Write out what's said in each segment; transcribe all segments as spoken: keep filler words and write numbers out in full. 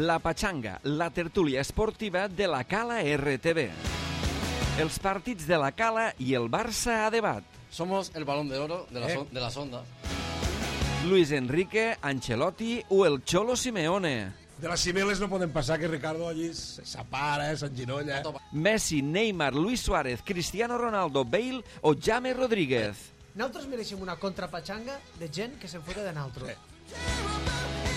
La Pachanga, la tertúlia esportiva de la Cala R T V. Els partits de la Cala i el Barça a debat. Somos el balón de oro de, la Eh. son- de las ondas. Luis Enrique, Ancelotti o el Cholo Simeone. De les cimeles no poden passar, que Ricardo allí s'apara, s'enginolla. Messi, Neymar, Luis Suárez, Cristiano Ronaldo, Bale o James Rodríguez. Nosaltres mereixem una contrapatxanga de gent que se'n fota de nosaltres.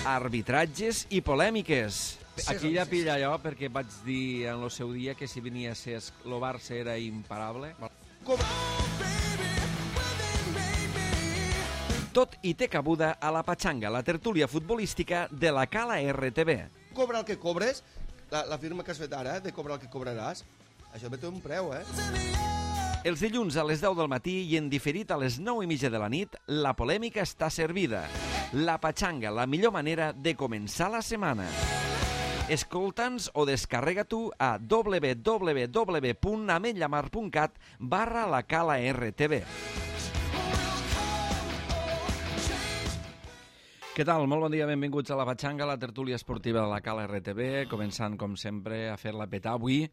Arbitratges i polèmiques. Aquí ja pilla allò perquè vaig dir en el seu dia que si venia a ser el Barça era imparable. Tot i té cabuda a la Pachanga, la tertúlia futbolística de la Cala R T V. Cobra el que cobres, la, la firma que has fet ara, de cobrar el que cobraràs, això ve té un preu, eh? Els dilluns a les deu del matí i en diferit a les nou i mitja de la nit, la polèmica està servida. La Pachanga, la millor manera de començar la setmana. Escolta'ns o descarrega tu a www.ametllamar.cat barra la Cala R T V. Què tal? Molt bon dia, benvinguts a la Pachanga, la tertúlia esportiva de la Cala R T V, començant, com sempre, a fer-la petar avui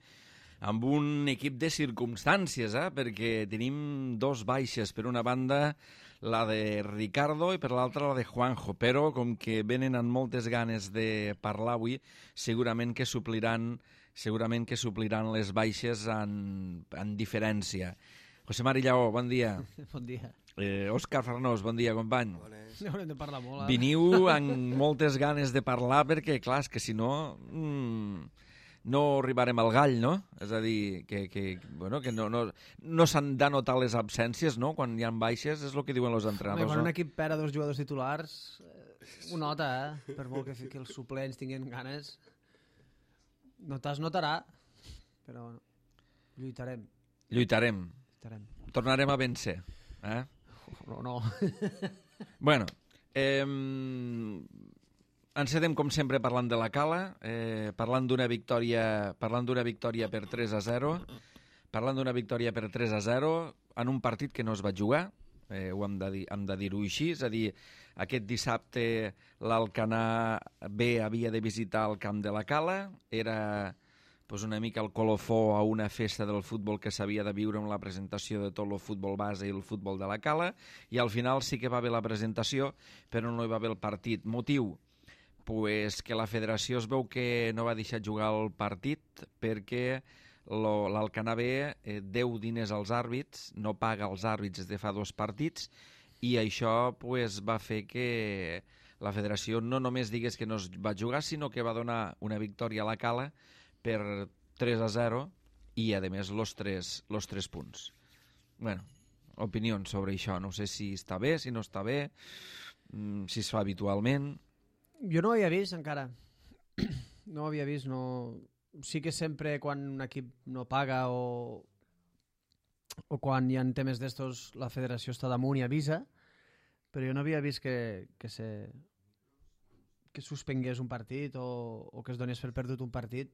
amb un equip de circumstàncies, eh? Perquè tenim dos baixes, per una banda la de Ricardo i per l'altra la de Juanjo, però com que venen amb moltes ganes de parlar avui, segurament que supliran, segurament que supliran les baixes en, en diferència. José Mari Lleó, bon dia. Bon dia. Eh, Òscar Farnós, bon dia, company. N'haurem de parlar molt, ara. Veniu amb moltes ganes de parlar perquè, clar, és que si no... Mmm, no arribarem al gall, no? És a dir, que, que, bueno, que no, no, no s'han de notar les absències, no? Quan hi ha baixes, és el que diuen els Home, entrenadors, quan no? un equip perd a dos jugadors titulars, eh, ho nota, eh? Per molt que, que els suplents tinguin ganes, notar es notarà, però bueno, lluitarem. Lluitarem. lluitarem. Tornarem a vèncer. Eh? No, no. Bueno, eh, encedem com sempre parlant de la Cala, eh, parlant d'una victòria, parlant d'una victòria per tres a zero, parlant d'una victòria per tres a zero en un partit que no es va jugar, eh, ho hem de dir, hem de dir-ho així, és a dir, aquest dissabte l'Alcanar B havia de visitar el camp de la Cala, era pues, una mica el colofó a una festa del futbol que s'havia de viure amb la presentació de tot el futbol base i el futbol de la Cala, i al final sí que va haver la presentació, però no hi va haver el partit. Motiu? Pues que la federació es veu que no va deixar jugar el partit perquè l'Alcanar B eh, deu diners als àrbits, no paga als àrbits des de fa dos partits, i això pues, va fer que la federació no només digués que no es va jugar, sinó que va donar una victòria a la Cala per tres a zero i, a més, los tres, los tres punts. Bueno, opinions sobre això. No sé si està bé, si no està bé, si es fa habitualment. Jo no ho havia vist encara. No ho havia vist, no... Sí que sempre quan un equip no paga o, o quan hi ha temes d'estos la federació està damunt i avisa, però jo no havia vist que, que se que suspengués un partit o, o que es donés per perdut un partit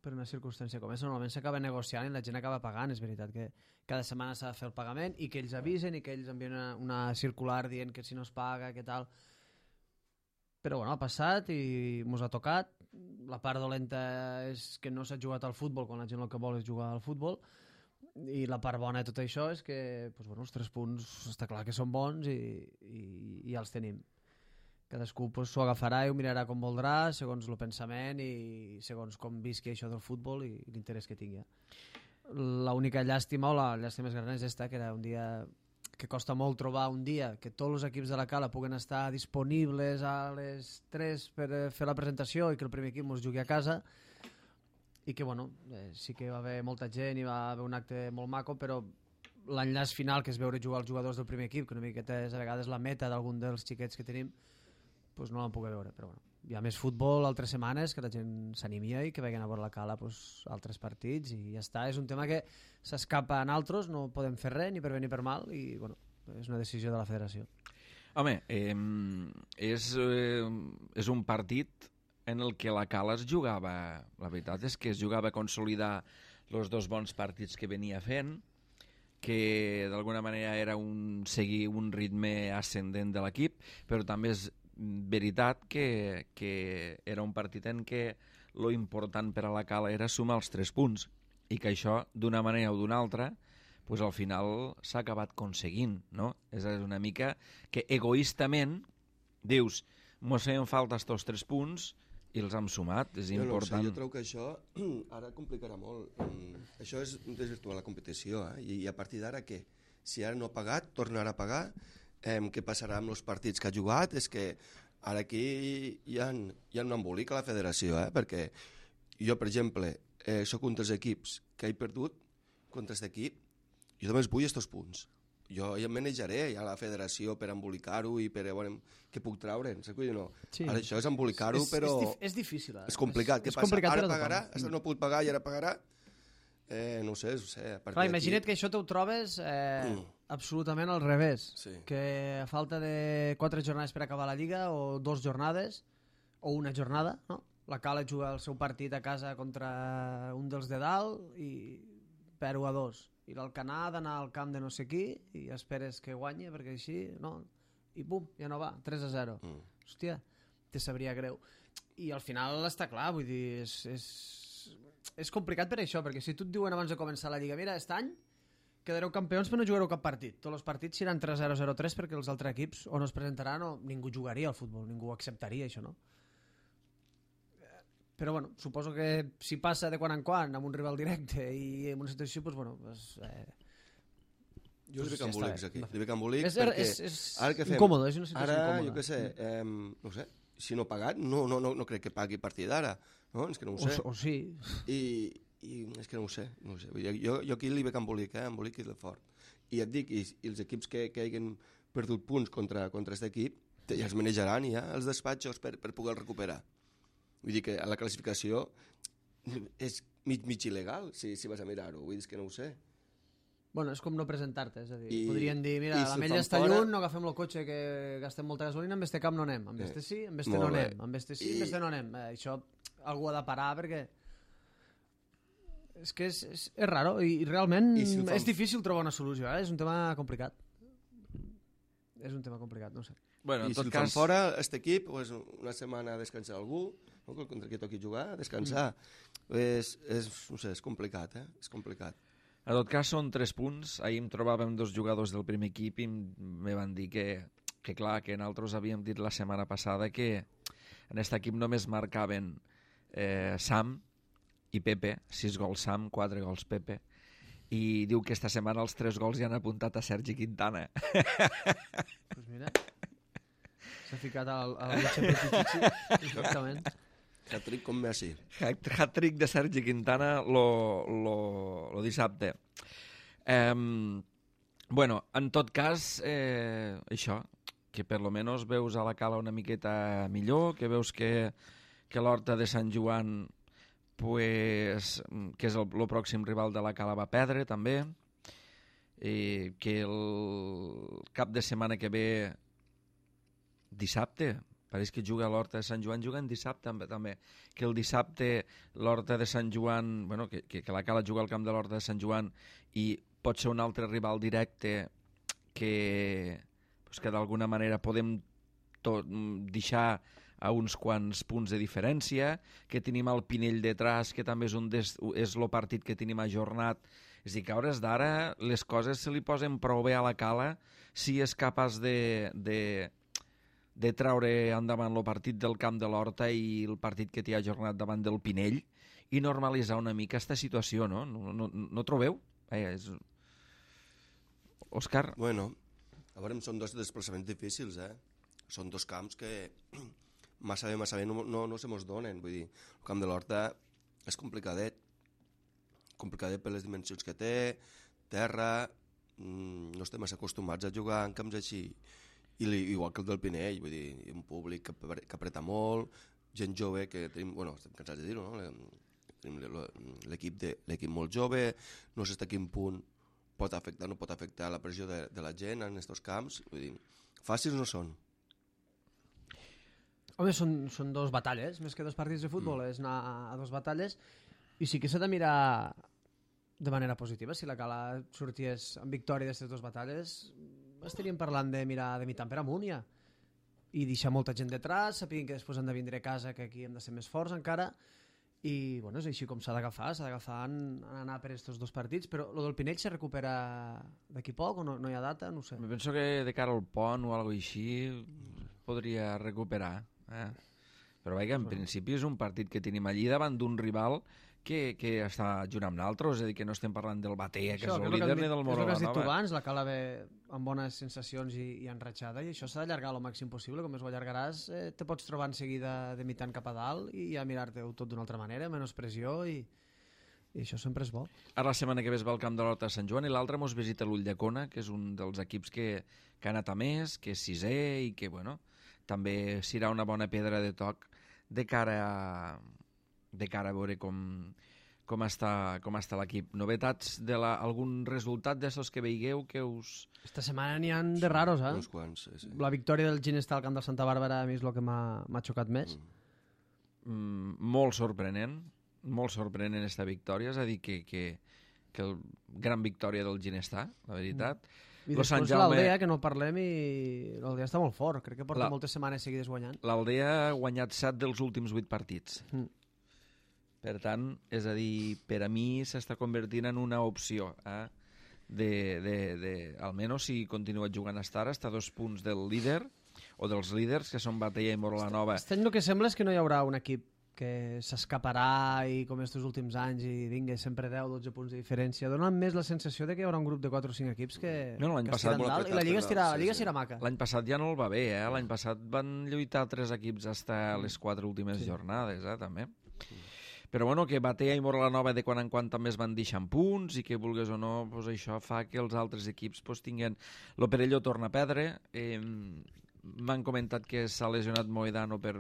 per una circumstància com aquesta. Normalment s'acaba negociant i la gent acaba pagant. És veritat que cada setmana s'ha de fer el pagament i que ells avisen i que ells envien una, una circular dient que si no es paga, què tal... Però bueno, ha passat i mos ha tocat. La part dolenta és que no s'ha jugat al futbol quan la gent el que vol és jugar al futbol, i la part bona de tot això és que pues, bueno, els tres punts està clar que són bons i, i, i ja els tenim. Cadascú pues, s'ho agafarà i ho mirarà com voldrà, segons el pensament i segons com visqui això del futbol i l'interès que tingui. L'única llàstima o la llàstima més gran és esta, que era un dia que costa molt trobar un dia que tots els equips de la Cala puguen estar disponibles a les tres per fer la presentació i que el primer equip ens jugui a casa, i que bueno, eh, sí que va haver molta gent i va haver un acte molt maco, però l'enllaç final, que és veure jugar els jugadors del primer equip, que una miqueta és a vegades la meta d'algun dels xiquets que tenim, pues no l'han pogut veure, però bueno. Hi ha més futbol altres setmanes, que la gent s'animia i que vagin a veure la Cala pues, altres partits i ja està. És un tema que s'escapa a nosaltres, no podem fer res ni per bé ni per mal i bueno, és una decisió de la federació. Home, eh, és, eh, és un partit en el que la Cala es jugava, la veritat és que es jugava a consolidar els dos bons partits que venia fent, que d'alguna manera era un seguir un ritme ascendent de l'equip, però també es veritat que, que era un partit en què lo important per a la Cala era sumar els tres punts i que això, d'una manera o d'una altra, pues al final s'ha acabat aconseguint, no? És una mica que egoistament dius, mos feien falta estos tres punts i els hem sumat, és jo important. No sé, jo trobo que això ara complicarà molt. Mm, això és desvirtuar la competició, eh? I, i a partir d'ara què? Si ara no ha pagat, tornarà a pagar. Eh, què passarà amb els partits que ha jugat? És que ara aquí hi ha, hi ha un embolic a la federació, eh? Perquè jo, per exemple, eh, soc un dels equips que he perdut contra aquest equip, jo només vull estos punts. Jo ja em manejaré ja a la federació per embolicar-ho i per veure què puc treure, saps què no? Sí. Ara això és embolicar-ho, És- és però... dif- és difícil, eh? És complicat. És- Què és passa? complicat per Ara a tothom. pagarà? Això no ha pogut pagar i ara pagarà? Eh, no ho sé, no ho sé. A partir Clar, d'aquí- imagina't que això t'ho trobes eh, Mm. absolutament al revés. Sí. Que a falta de quatre jornades per acabar la Lliga, o dos jornades, o una jornada, no? La Cala juga el seu partit a casa contra un dels de dalt i perd u a dos. I l'Alcanar ha d'anar al camp de no sé qui i esperes que guanyi, perquè així, no? I pum, ja no va, tres a zero. Mm. Hòstia, te sabria greu. I al final està clar, vull dir, és, és, és complicat per això, perquè si tu et diuen abans de començar la Lliga, mira, aquest any quedareu campions però no jugareu cap partit. Tots els partits seran tres zero zero tres perquè els altres equips o no es presentaran o ningú jugaria al futbol, ningú acceptaria això, no? Però bueno, suposo que si passa de quan en quan amb un rival directe i en una situació, doncs bueno, pues, eh, Jo li veig ja està embolics bé. aquí. Li veig embolics és, perquè... és, és ara què fem? incòmode, és una situació Ara, incòmoda. jo què sé, eh, no sé, si no ha pagat, no, no, no, no crec que pagui a partir d'ara, no? És que no ho sé. O, o sí. I, i és que no ho sé, no ho sé. Vull dir, jo, jo aquí li veig embolic, eh? Embolic és de fort. I et dic, i, i els equips que, que hagin perdut punts contra, contra aquest equip, ja els manejaran ja, els despatxos, per, per poder recuperar. Vull dir que a la classificació és mig, mig il·legal, si, si vas a mirar-ho. Vull dir, és que no ho sé. Bueno, és com no presentar-te, és a dir, I- podrien dir, mira, i si el l'Ametlla fan està fora- lluny, no agafem el cotxe que gastem molta gasolina, amb este camp no anem, amb este sí, amb este Molt no bé. anem, amb este sí, I- amb este no anem. Eh, això algú ha de parar perquè és que és, és, és raro i, i realment I si el fan- és difícil trobar una solució, eh? És un tema complicat. És un tema complicat, no ho sé. Bueno, I en si tot el fan cas, fora, aquest equip, pues, una setmana a descansar algú, no? Contra qui toqui jugar, a descansar. Mm. És, és, no sé, és complicat, eh? És complicat. en tot cas són tres punts. Ahir em trobàvem dos jugadors del primer equip i me van dir que, que clar, que nosaltres havíem dit la setmana passada que en aquest equip només marcaven eh, Sam i Pepe, sis gols Sam, quatre gols Pepe, i diu que esta setmana els tres gols ja han apuntat a Sergi Quintana. Pues mira, s'ha ficat al, al Lucha Petitici, exactament. Hat-trick com Messi. Hat-trick de Sergi Quintana lo, lo, lo dissabte. Eh, bueno, en tot cas, eh, això, que per lo menos veus a la Cala una miqueta millor, que veus que, que l'Horta de Sant Joan, pues, que és el, el pròxim rival de la Cala, va perdre també, i que el cap de setmana que ve, dissabte, pareix que juga a l'Horta de Sant Joan, juga en dissabte també, que el dissabte l'Horta de Sant Joan, bueno, que, que, que la Cala juga al camp de l'Horta de Sant Joan i pot ser un altre rival directe que, pues, que d'alguna manera podem tot, deixar a uns quants punts de diferència, que tenim el Pinell detrás, que també és, un des, és el partit que tenim ajornat. És a dir, que a hores d'ara les coses se li posen prou bé a la Cala si és capaç de... de de treure endavant el partit del camp de l'Horta i el partit que t'hi ha ajornat davant del Pinell i normalitzar una mica aquesta situació, no? No, no, no trobeu? Eh, és... Òscar? Bueno, a veure, són dos desplaçaments difícils, eh? Són dos camps que massa bé, massa bé no, no, no se mos donen. Vull dir, el camp de l'Horta és complicadet. Complicadet per les dimensions que té, terra, mmm, no estem massa acostumats a jugar en camps així. I li, igual que el del Pinell, vull dir, un públic que, que apreta molt, gent jove que tenim, bueno, estem cansats de dir-ho, no? Tenim l'equip de, l'equip molt jove, no sé fins a quin punt pot afectar, no pot afectar la pressió de, de la gent en aquests camps, vull dir, fàcils no són. Home, són, són dos batalles, més que dos partits de futbol, mm. és anar a dos batalles, i sí que s'ha de mirar de manera positiva. Si la Cala sorties amb victòria d'aquestes dues batalles, estaríem parlant de mirar de mitant per amunt ja. i deixar molta gent detrás, sapiguin que després han de vindre a casa, que aquí hem de ser més forts encara, i bueno, és així com s'ha d'agafar, s'ha d'agafar en, en anar per aquests dos partits, però el del Pinell se recupera d'aquí poc o no, no hi ha data? No ho sé. Me penso que de cara al pont o alguna cosa així podria recuperar, eh? Però vaja, en Bueno. principi és un partit que tenim allí davant d'un rival que, que està junt amb l'altre, és a dir, que no estem parlant del Batea, que Això, és el que és el que líder, has ni dit- del és el que has dit tu Morelanova. abans, la Cala ve amb bones sensacions i, i enratxada, i això s'ha d'allargar el màxim possible. Com més ho allargaràs, eh, te pots trobar en seguida de mitant cap a dalt i ja mirar-te-ho tot d'una altra manera, menys pressió, i, i això sempre és bo. Ara la setmana que ve es va al camp de l'Horta de Sant Joan i l'altre mos visita l'Ulldecona, que és un dels equips que, que ha anat a més, que és sisè i que, bueno, també serà una bona pedra de toc de cara a, de cara a veure com, com està, com està l'equip. Novetats de la, algun resultat d'estos que veigueu que us... Esta setmana n'hi ha de raros, eh? Uns quants, sí, sí. La victòria del Ginestar al camp del Santa Bàrbara a mi és el que m'ha m'ha xocat més. Mm, molt sorprenent, molt sorprenent esta victòria, és a dir, que, que, que el, gran victòria del Ginestar, la veritat. I Lo Sant després Jaume- l'Aldea, que no parlem, i l'Aldea està molt fort. Crec que porta La- moltes setmanes seguides guanyant. L'Aldea ha guanyat set dels últims vuit partits. Mm. Per tant, és a dir, per a mi s'està convertint en una opció, eh? de, de, de, almenys si continua jugant hasta ara, està a dos punts del líder, o dels líders, que són Batea i Morelanova. Aquest any el que sembla és que no hi haurà un equip que s'escaparà i com estos últims anys i vinga, sempre deu dotze punts de diferència. Dona més la sensació de que hi haurà un grup de quatre o cinc equips que, No, no, l'any que passat estiran molt dalt, i apretat la Lliga per estirà, dalt, la Lliga sí, sí. serà maca. L'any passat ja no el va bé, eh? L'any passat van lluitar tres equips hasta les quatre últimes Sí. jornades, eh? També. Però bueno, que Batea i Morelanova de quan en quan també es van deixant punts i que vulgues o no, pues això fa que els altres equips pues, tinguin... Lo Perelló torna a perdre. Eh, M'han comentat que s'ha lesionat Moedano per,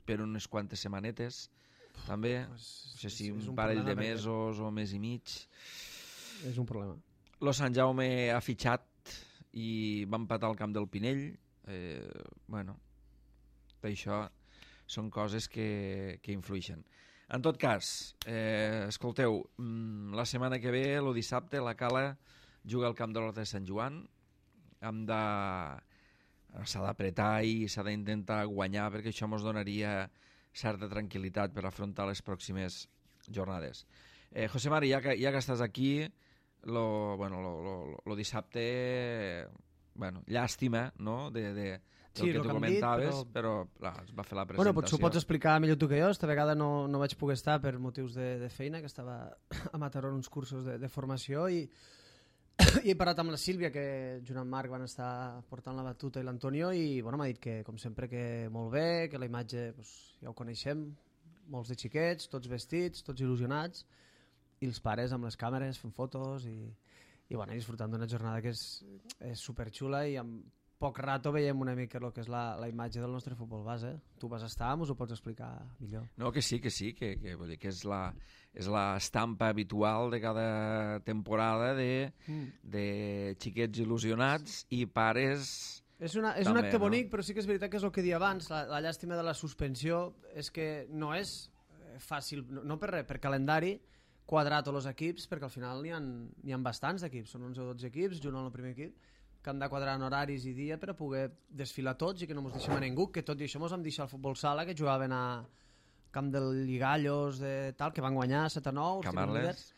per unes quantes setmanetes, també. Pues, No sé si és- és un un parell problema de perquè- mesos o mes i mig. És un problema. Lo Sant Jaume ha fitxat i va empatar al camp del Pinell. Eh, bueno, això són coses que, que influeixen. En tot cas, eh, escolteu, mm, la setmana que ve, el dissabte, la Cala juga al camp de l'Horta de Sant Joan. Hem de... S'ha d'apretar i s'ha d'intentar guanyar perquè això ens donaria certa tranquil·litat per afrontar les pròximes jornades. Eh, José Mari, ja que, ja que estàs aquí, lo, bueno, lo, lo, lo dissabte, bueno, llàstima, no?, de, de, del Sí, que lo tu que han dit, comentaves, però- però, clar, es va fer la Bueno, presentació. potser ho pots explicar millor tu que jo. Esta vegada no, no vaig poder estar per motius de, de feina, que estava a Mataró en uns cursos de, de formació, i, i he parlat amb la Sílvia, que junt amb Marc van estar portant la batuta, i l'Antonio, i bueno, m'ha dit que, com sempre, que molt bé, que la imatge pues, ja ho coneixem, molts de xiquets, tots vestits, tots il·lusionats, i els pares amb les càmeres fent fotos i, i bueno, disfrutant d'una jornada que és, és superxula, i amb poc rato veiem una mica el que és la, la imatge del nostre futbol base. Tu vas estar, us ho pots explicar millor. No, que sí, que sí, que, que, vull dir, que és la és la estampa habitual de cada temporada de, Mm. de xiquets il·lusionats i pares... És, una, és També, un acte no? bonic, però sí que és veritat que és el que dia abans. La, la llàstima de la suspensió és que no és eh, fàcil, no, no per res, per calendari, quadrar tots els equips, perquè al final n'hi ha, n'hi ha bastants d'equips, són onze o dotze equips, junt amb el primer equip, que han de quadrar en horaris i dia per a poder desfilar tots i que no mos deixem a ningú, que tot i això mos vam deixar el futbol sala, que jugaven a camp del Lligallos, de tal, que van guanyar set a nou, Camarles.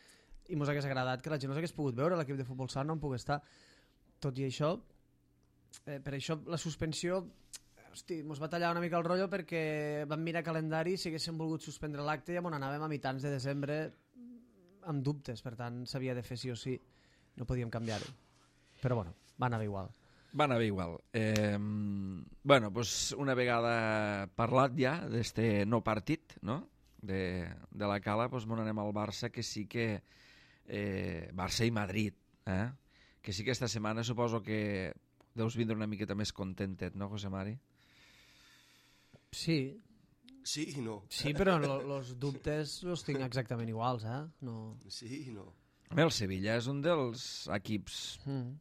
i mos hagués agradat que la gent no s'hagués pogut veure, l'equip de futbol sala no en pogués estar. Tot i això, eh, per això la suspensió, hosti, mos va tallar una mica el rotllo perquè vam mirar calendari, si haguéssim volgut suspendre l'acte ja m'on anàvem a mitjans de desembre amb dubtes, per tant s'havia de fer sí o sí, no podíem canviar-ho. Però bueno, va anar igual. Va anar bé igual. Eh, bueno, pues una vegada parlat ja d'este no partit, no?, de, de la Cala, pues bon anem al Barça, que sí que... Eh, Barça i Madrid, eh? Que sí que esta setmana suposo que deus vindre una miqueta més contentet, no, José Mari? Sí, Sí i no. sí, però els dubtes els tinc exactament iguals, eh? No... Sí i no. Bé, el Sevilla és un dels equips... Mm.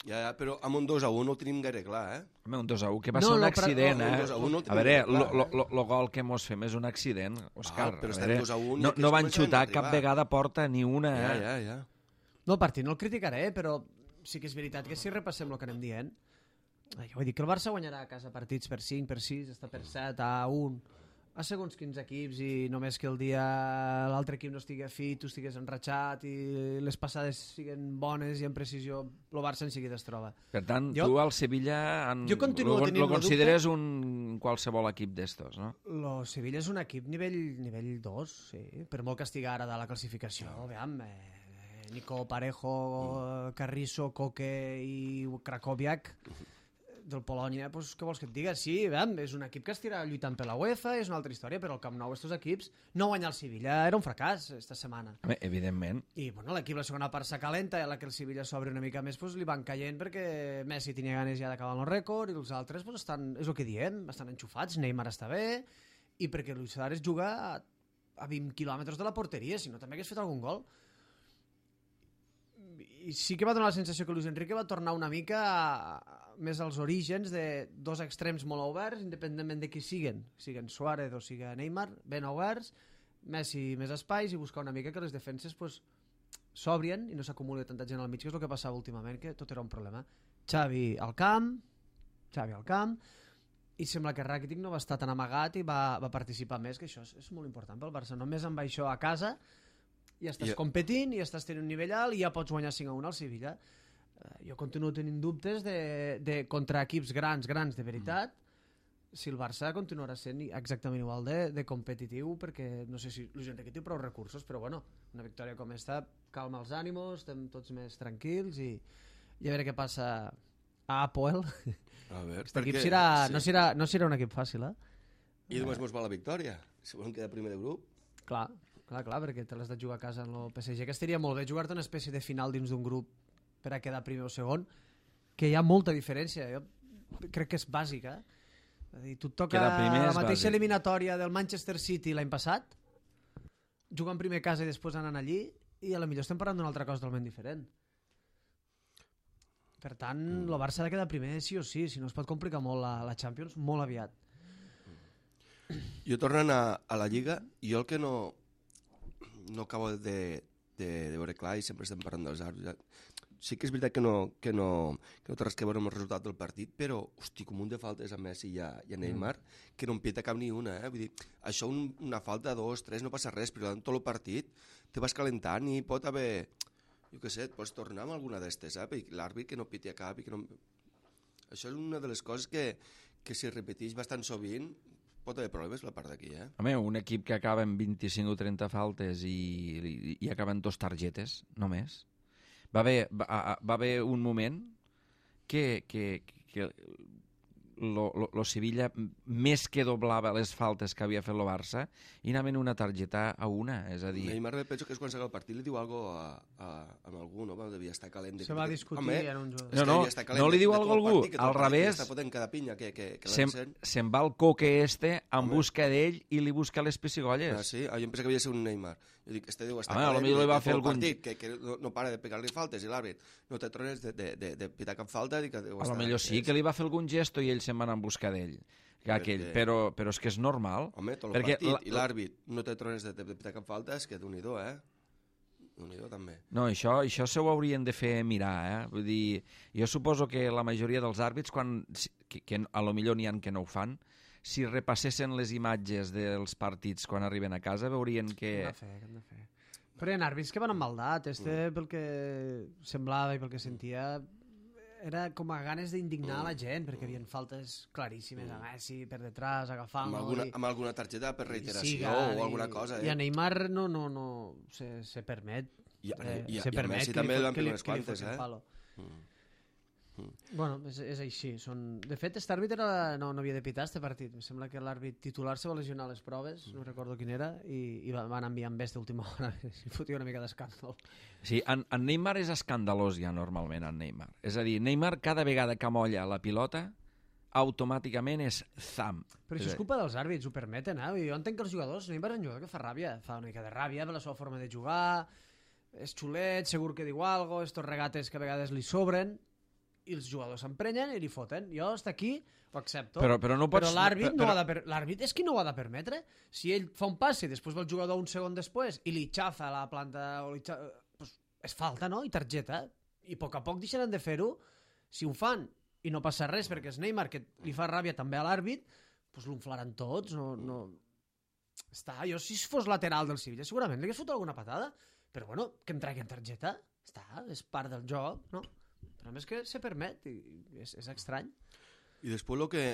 Ja, ja, però amb un dos a un no ho tenim gaire clar, eh? Home, un dos a u, que va No, ser un no, però- accident, no, un eh? dos a un no A tenim veure, gaire clar, lo, lo, eh? lo, lo gol que mos fem és un accident, Òscar. Ah, però a estem veure, dos a un i no, aquí no es van comencen a xutar cap arribar. vegada porta ni una, Ja, eh? ja, ja. No, el partit no el criticaré, però sí que és veritat que si repassem el que anem dient, Jo vull dir que el Barça guanyarà a casa partits per cinc, per sis, està per set, a un, a segons quins equips, i només que el dia l'altre equip no estigui fit, tu estigués enratxat i les passades siguin bones i en precisió, el Barça en seguida es troba. Per tant, jo, tu al Sevilla en, jo continuo lo, tenint lo consideres un qualsevol equip d'estos, no? Lo Sevilla és un equip nivell nivell dos, sí, per molt que estigui ara de la classificació. Veam, eh, Nico Parejo, Carrizo, Koke i Krakowiak del Polònia, pues, què vols que et diga? Sí, veam, és un equip que estirà lluitant per la UEFA, és una altra història, però al Camp Nou estos equips no guanyar el Sevilla era un fracàs esta setmana. Home, evidentment. I bueno, l'equip la segona part s'acalenta, i a la que el Sevilla s'obre una mica més pues, li van caient perquè Messi tenia ganes ja d'acabar el rècord i els altres pues, estan, és el que diem, estan enxufats, Neymar està bé, i perquè Luis Suárez juga a, a vint quilòmetres de la porteria, si no també hagués fet algun gol. I sí que va donar la sensació que Luis Enrique va tornar una mica a, més als orígens de dos extrems molt oberts, independentment de qui siguen, siguen Suárez o siga Neymar, ben oberts, Messi més espais, i buscar una mica que les defenses pues, s'obrien i no s'acumuli tanta gent al mig, que és el que passava últimament, que tot era un problema. Xavi al camp, Xavi al camp, i sembla que Rakitic no va estar tan amagat i va, va participar més, que això és, és molt important pel Barça. Només amb això a casa ja estàs yeah. competint, i ja estàs tenint un nivell alt i ja pots guanyar cinc a un al Sevilla. Uh, jo continuo tenint dubtes de, de contra equips grans, grans de veritat, mm. si el Barça continuarà sent exactament igual de, de competitiu, perquè no sé si Luis Enrique té prou recursos, però bueno, una victòria com esta calma els ànimos, estem tots més tranquils, i, i a veure què passa a Apoel. A veure, aquest equip serà, sí. no, serà, no serà un equip fàcil, eh? I només mos va la victòria, si volen quedar primer de grup. Clar, clar, clar, perquè te l'has de jugar a casa en el P S G, que estaria molt bé jugar-te una espècie de final dins d'un grup per a quedar primer o segon, que hi ha molta diferència. Jo crec que és bàsica. Eh? Dir, tu et toca la mateixa eliminatòria del Manchester City l'any passat, jugant primer a casa i després anant allí, i a la millor estem parlant d'una altra cosa totalment diferent. Per tant, mm. el Barça ha de quedar primer sí o sí, si no es pot complicar molt la, la Champions molt aviat. Jo tornant a, a la Lliga, jo el que no no acabo de, de, de veure clar, i sempre estem parlant dels àrbitres, sí que és veritat que no, que no, que no té res que veure amb el resultat del partit, però, hosti, com un de faltes a Messi i a, i a Neymar, mm. que no en peta cap ni una, eh? Vull dir, això un, una falta, dos, tres, no passa res, però en tot el partit te vas calentant i pot haver, jo què sé, et pots tornar amb alguna d'estes, eh? Perquè l'àrbit que no piti a cap i que no... Això és una de les coses que, que si repeteix bastant sovint pot haver problemes la part d'aquí, eh? Home, un equip que acaba amb vint-i-cinc o trenta faltes i, i, i acaba amb dos targetes, només. Va haver, va, va haver un moment que, que, que lo, lo, lo Sevilla més que doblava les faltes que havia fet el Barça i anaven una targeta a una, és a dir... Neymar penso que és quan s'acaba el partit li diu alguna cosa a, a, a algú, no? Devia estar calent. Se va que, discutir home, en un joc. No, no, no li diu alguna cosa a algú, partit, al revés, cada pinya que, que, que se'n se va al coque este en home. busca d'ell i li busca les pessigolles. Ah, sí? Ah, jo em pensava que havia ser un Neymar. Jo dic, este deu estar calent, li va fer algun... partit, que, que no, no para de pegar-li faltes i l'àrbit no té trones de, de, de, de pitar cap falta. I que deu a estar, lo millor sí que li va fer algun gesto i ell se'n va anar en busca d'ell. Aquell, però, però és que és normal. Home, tot el partit la... i l'àrbit no té trones de, de, de pitar cap falta, és que d'un-i-do, eh? Un-i-do també. No, això, això se ho haurien de fer mirar, eh? Vull dir, jo suposo que la majoria dels àrbits, quan, que, que a lo millor n'hi ha que no ho fan, si repassessin les imatges dels partits quan arriben a casa, veurien que... Què hem de fer, què hem de fer? Però hi ha àrbits que van amb maldat. Este, mm. pel que semblava i pel que sentia, era com a ganes d'indignar mm. la gent, perquè hi havia faltes claríssimes mm. a Messi per detrás, agafant-lo... Amb alguna, i... amb alguna targeta per reiteració siga, o alguna cosa. Eh? I a Neymar no, no, no se, se permet. I a, eh, i a, se i a permet Messi que també li, van que fer li, unes que li quantes, eh? Palo. Mm. Mm. Bueno, és, és així. Són... De fet, aquest àrbit era... no, no havia de pitar este partit. Em sembla que l'àrbit titular se va lesionar a les proves, no recordo quin era, i, i van enviar amb besta última hora. I fotia una mica d'escàndol. Sí, en, en Neymar és escandalós ja normalment, en Neymar. És a dir, Neymar cada vegada que molla la pilota automàticament és zam. Però això és culpa dels àrbits, ho permeten, eh? Jo entenc que els jugadors, Neymar és un jugador que fa ràbia, fa una mica de ràbia per la seva forma de jugar, és xulet, segur que diu alguna cosa, estos regates que a vegades li sobren, i els jugadors s'emprenyen i li foten. Jo, està aquí, ho accepto. Però, però, no pots... però l'àrbit però... no ha de per... l'àrbit és qui no ho ha de permetre. Si ell fa un passe i després va el jugador un segon després i li xafa la planta o li xafa... pues és falta, no? I targeta. I a poc a poc deixaran de fer-ho. Si ho fan i no passa res perquè és Neymar, que li fa ràbia també a l'àrbit, doncs l'unflaran tots. No, no... Està, jo si fos lateral del Sevilla segurament li hagués fotut alguna patada, però bueno, que em traguin targeta, està, és part del joc, no? Però a més que se permet, i és, és estrany. I després el que,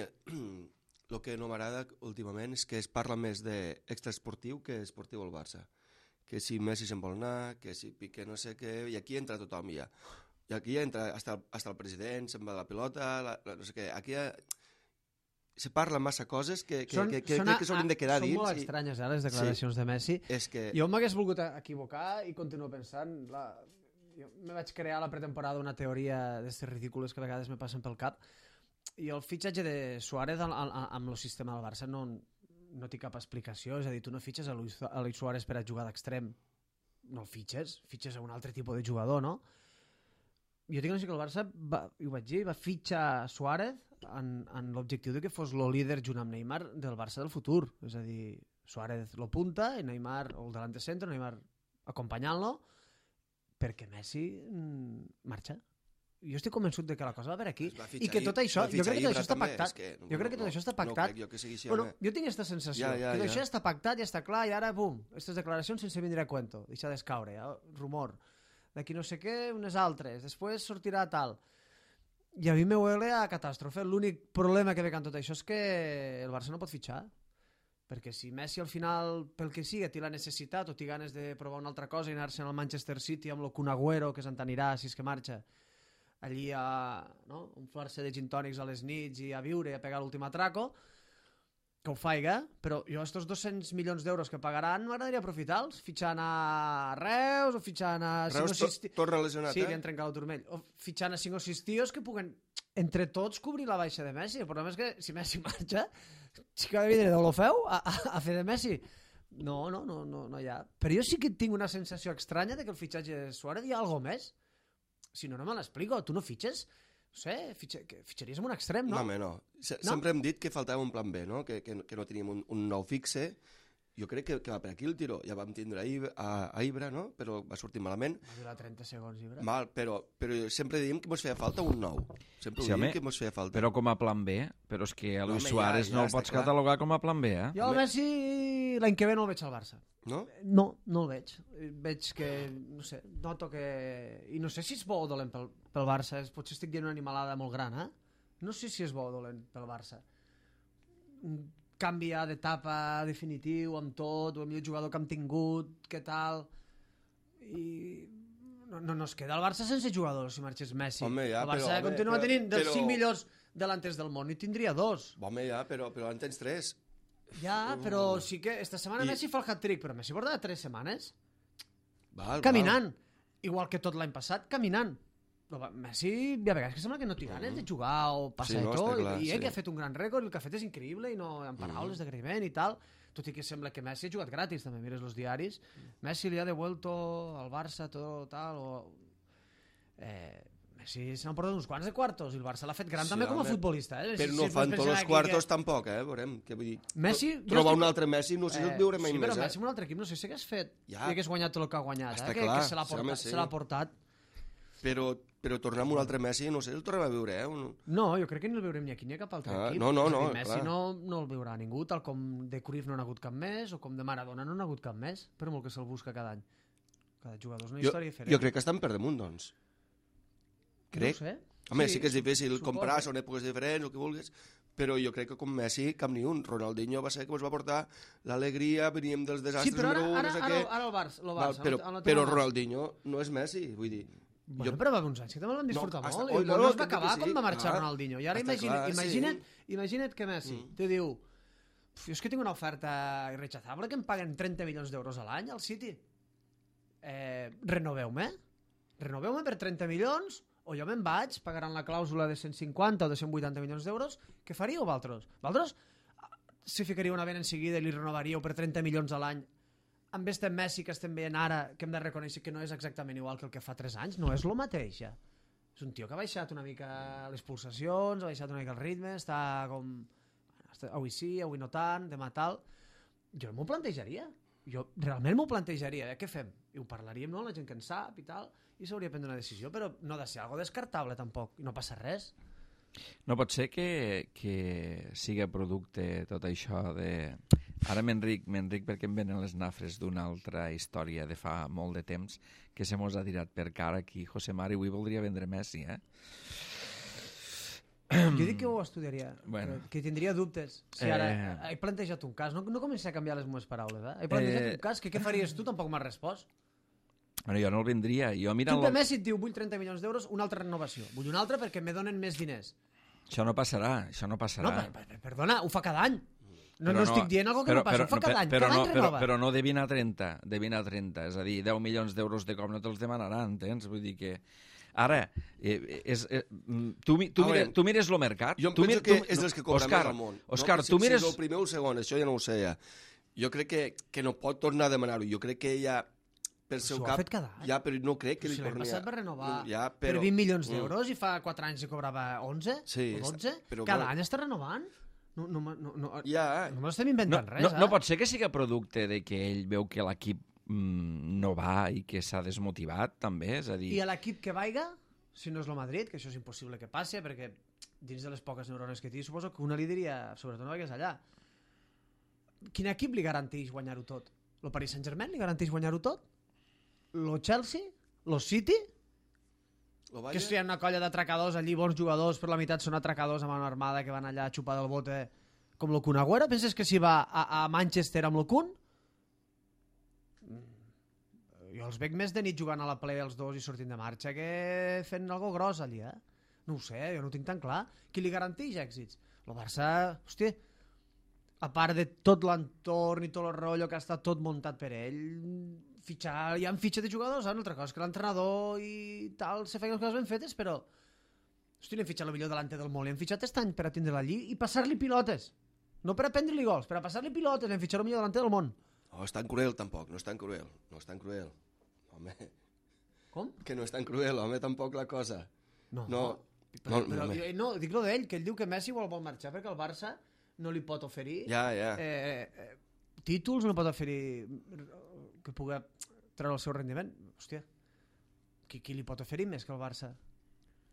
lo que no m'agrada últimament és que es parla més d'extraesportiu que esportiu al Barça. Que si Messi se'n vol anar, que si Piqué no sé què, i aquí entra tothom ja. I aquí entra hasta el, hasta el president, se'n va de la pilota, la, la, no sé què. Aquí ha, se parla massa coses que, que, són, que, que, són, que, que s'haurien de quedar són dins. Són molt estranyes, eh, les declaracions sí. de Messi. És que... Jo m'hagués volgut equivocar i continuo pensant... La... Jo me vaig crear a la pretemporada una teoria d'aquestes ridícules que a vegades me passen pel cap, i el fitxatge de Suárez amb el sistema del Barça no, no té cap explicació. És a dir, tu no fitxes a Luis, a Luis Suárez per a jugar d'extrem. No el fitxes, fitxes a un altre tipus de jugador, no? Jo tinc la sensació que el Barça, va, i ho vaig dir, va fitxar Suárez en, en l'objectiu de que fos el líder junt amb Neymar del Barça del futur. És a dir, Suárez lo punta i Neymar, o el delante centre, Neymar acompanyant-lo, perquè Messi mm, marxa. Jo estic convençut de que la cosa va per aquí i que tot això, jo crec que tot això està pactat. Que, no, jo crec que tot no, això està pactat. No crec jo que sigui així, bueno, jo tinc aquesta sensació, ja, ja, que tot ja. això està pactat, ja està clar, i ara, bum, aquestes declaracions sense vindre a cuento, deixa d'escaure, ja, rumor. D'aquí no sé què, unes altres, després sortirà tal. I a mi me huele a catàstrofe. L'únic problema que ve amb tot això és que el Barça no pot fitxar. Perquè si Messi al final, pel que sigui, té la necessitat o té ganes de provar una altra cosa i anar-se'n al Manchester City amb el Kun Agüero, que se'n t'anirà si és que marxa, allí a no? inflar-se de gin tònics a les nits i a viure i a pegar l'últim atraco, que ho faiga, però jo estos dos-cents milions d'euros que pagaran m'agradaria aprofitar-los, fitxant a Reus o fitxant a... Reus cinc o sis... torna lesionat, sí, eh? li han trencat el turmell. O fitxant a cinc o sis tios que puguen, entre tots, cobrir la baixa de Messi. El problema és que si Messi marxa, sí que ha de vindre d'Olofeu a, a, a fer de Messi. No, no, no, no, no hi ha. Però jo sí que tinc una sensació estranya de que el fitxatge de Suárez hi ha alguna més. Si no, no me l'explico. Tu no fitxes... No sé, fitxa, que fitxaries amb un extrem, no? No, home, no. Se, no. Sempre hem dit que faltava un plan B, no? Que, que, que no teníem un, un nou fixe. Jo crec que, que va per aquí el tiro. Ja vam tindre a, a, a Ibra, no? Però va sortir malament. Va durar trenta segons, Ibra. Mal, però, però sempre diem que ens feia falta un nou. Sempre sí, ho home, diem que ens feia falta. Però com a plan B, però és que a Luis no, Suárez ja, ja no el pots clar. catalogar com a plan B, eh? Jo a Messi l'any que ve no el veig al Barça. No? No, no el veig. Veig que, no sé, noto que... I no sé si és bo o dolent pel, pel Barça. Potser estic dient una animalada molt gran, eh? No sé si és bo o dolent pel Barça. Canviar d'etapa definitiu amb tot, o el millor jugador que hem tingut, què tal... I... No, no, no es queda el Barça sense jugadors si marxés Messi. Home, ja, el Barça però, continua home, tenint dels però... cinc millors delanters del món i tindria dos. Home, ja, però, però en tens tres. Ja, però sí que esta setmana I... Messi fa el hat-trick, però Messi porta tres setmanes val, caminant. Val. Igual que tot l'any passat, caminant. Però Messi, hi ha vegades que sembla que no té ganes de jugar o passar sí, no, tot, clar, i ell sí. que ha fet un gran rècord, el que ha fet és increïble i no en paraules mm. d'agraïment i tal, tot i que sembla que Messi ha jugat gratis, també mires els diaris. Messi li ha devuelto al Barça tot tal, o... Eh... Messi se n'han portat uns quants de quartos i el Barça l'ha fet gran sí, també com a futbolista. Eh? Però si, no si fan tots els quartos que... tampoc, eh? Veurem, què vull dir. Messi, trobar estic... un altre Messi, no sé si eh, el veurem mai sí, més. Sí, però eh? Messi amb un altre equip no sé si hagués fet ja. I hagués guanyat tot el que ha guanyat. Està eh? clar, que, que se l'ha portat, sí, se l'ha portat. Però, però tornar amb un altre Messi, no sé si el tornem a veure. Eh? Un... No, jo crec que ni el veurem ni aquí ni a cap altre ah, equip. No, no, no. Dir, Messi no, no el veurà ningú, tal com de Cruyff no n'ha hagut cap més, o com de Maradona no n'ha hagut cap més, però molt que se'l busca cada any. Cada jugador és una jo, història diferent. Jo crec que estan per damunt, doncs. Crec. No sé. Home, sí, sí que és difícil suposo. comprar, són èpoques diferents, el que vulguis, però jo crec que com Messi, cap ni un. Ronaldinho va ser que ens va portar l'alegria, veníem dels desastres sí, però ara, número un, ara, no sé ara, què. ara el Barça, el Barça Val, però, el, el però Ronaldinho no és Messi, vull dir... Bueno, jo... però va haver uns anys que també l'han disfrutat no, molt. Hasta... I no, no, no, es va acabar sí. quan va marxar ah, Ronaldinho. I ara imagina't, clar, imagina't, sí. imagina't que Messi mm. te diu és que tinc una oferta irrechazable que em paguen trenta milions d'euros a l'any al City. Eh, renoveu-me? Renoveu-me per trenta milions o jo me'n vaig, pagaran la clàusula de cent cinquanta o de cent vuitanta milions d'euros. Què faríeu, vosaltres? Vosaltres si ficaríeu una vena en seguida i li renovaríeu per trenta milions a l'any amb este Messi que estem veient ara, que hem de reconèixer que no és exactament igual que el que fa tres anys, no és el mateix, ja. És un tio que ha baixat una mica les pulsacions, ha baixat una mica el ritme, està com... Avui sí, avui no tant, demà tal... Jo m'ho plantejaria. Jo realment m'ho plantejaria. Eh? Què fem? I ho parlaríem, no? La gent que en sap i tal, i s'hauria de prendre una decisió, però no ha de ser algo descartable, tampoc. I no passa res. No pot ser que, que siga producte tot això de... Ara m'enric, m'enric perquè em venen les nafres d'una altra història de fa molt de temps que se mos ha tirat per cara aquí. José Mari avui voldria vendre Messi, eh? Jo dic que ho estudiaria, Bueno. que tindria dubtes. Si ara Eh. he plantejat un cas, no, no comencé a canviar les meves paraules, eh? He plantejat Eh. un cas, que què faries tu? Tampoc m'has respost. Bueno, jo no el vendria. Jo Tu mirant de Messi et diu, vull trenta milions d'euros, una altra renovació. Vull una altra perquè me donen més diners. Això no passarà, això no passarà. No, per, per, perdona, ho fa cada any. No, Però no estic dient algo que però, no passa, però, ho fa cada any, però, cada no, any però, renova. però no de vint a trenta, de vint a trenta, és a dir, deu milions d'euros de cop no te'ls demanaran, entens? Vull dir que... Ara, eh, és, eh, tu, mi- tu, A mira, veure, tu mires lo mercat... Jo em tu penso mir- que tu- és dels que cobra Òscar, més al món. Òscar, no? tu mires... Si és el primer o el segon, això ja no ho sé ja. Jo crec que, que no pot tornar a demanar-ho. Jo crec que ella, per seu S'ho ha cap... fet cada any. Ja, però no crec que Però li si l'any torni passat va renovar Ja, per però... vint milions Mm. d'euros i fa quatre anys se cobrava onze Sí, o dotze. però Cada bueno. any està renovant. No, no, no, no, no, Ja, no m'estem No, inventant res, no, eh? no pot ser que siga producte de que ell veu que l'equip mm, no va i que s'ha desmotivat, també, és a dir... I a l'equip que vaiga, si no és el Madrid, que això és impossible que passi, perquè dins de les poques neurones que té, suposo que una li diria, sobretot no vagis allà. Quin equip li garanteix guanyar-ho tot? Lo Paris Saint-Germain li garanteix guanyar-ho tot? Lo Chelsea? Lo City? Lo Que Bayern? si hi ha una colla d'atracadors allí, bons jugadors, per la meitat són atracadors amb una armada que van allà a xupar del bote com lo Kun Agüero? Penses que si va a, a Manchester amb lo Kun? Mm. Jo els veig més de nit jugant a la play els dos i sortint de marxa que fent algo gros allí, eh? No ho sé, jo no ho tinc tan clar. Qui li garanteix èxits? El Barça, hòstia, a part de tot l'entorn i tot el rotllo que ha estat tot muntat per ell, fitxar, hi ha fitxa de jugadors, eh? Una altra cosa és que l'entrenador i tal se feien les coses ben fetes, però hosti, n'hem fitxat el millor delante del món, l'hem fitxat aquest any per a tindre-la allí i passar-li pilotes, no per a prendre-li gols, per a passar-li pilotes, l'hem fitxat el millor delante del món. No, és tan cruel, tampoc, no és tan cruel. No és tan cruel. Home, Com? que no és tan cruel, home, tampoc la cosa. No, No, però, no, però, home. jo- no, dic lo d'ell, que ell diu que Messi vol, vol marxar perquè el Barça no li pot oferir Ja, ja. eh, eh, títols, no pot oferir que pugui treure el seu rendiment. Hòstia, qui, qui li pot oferir més que el Barça?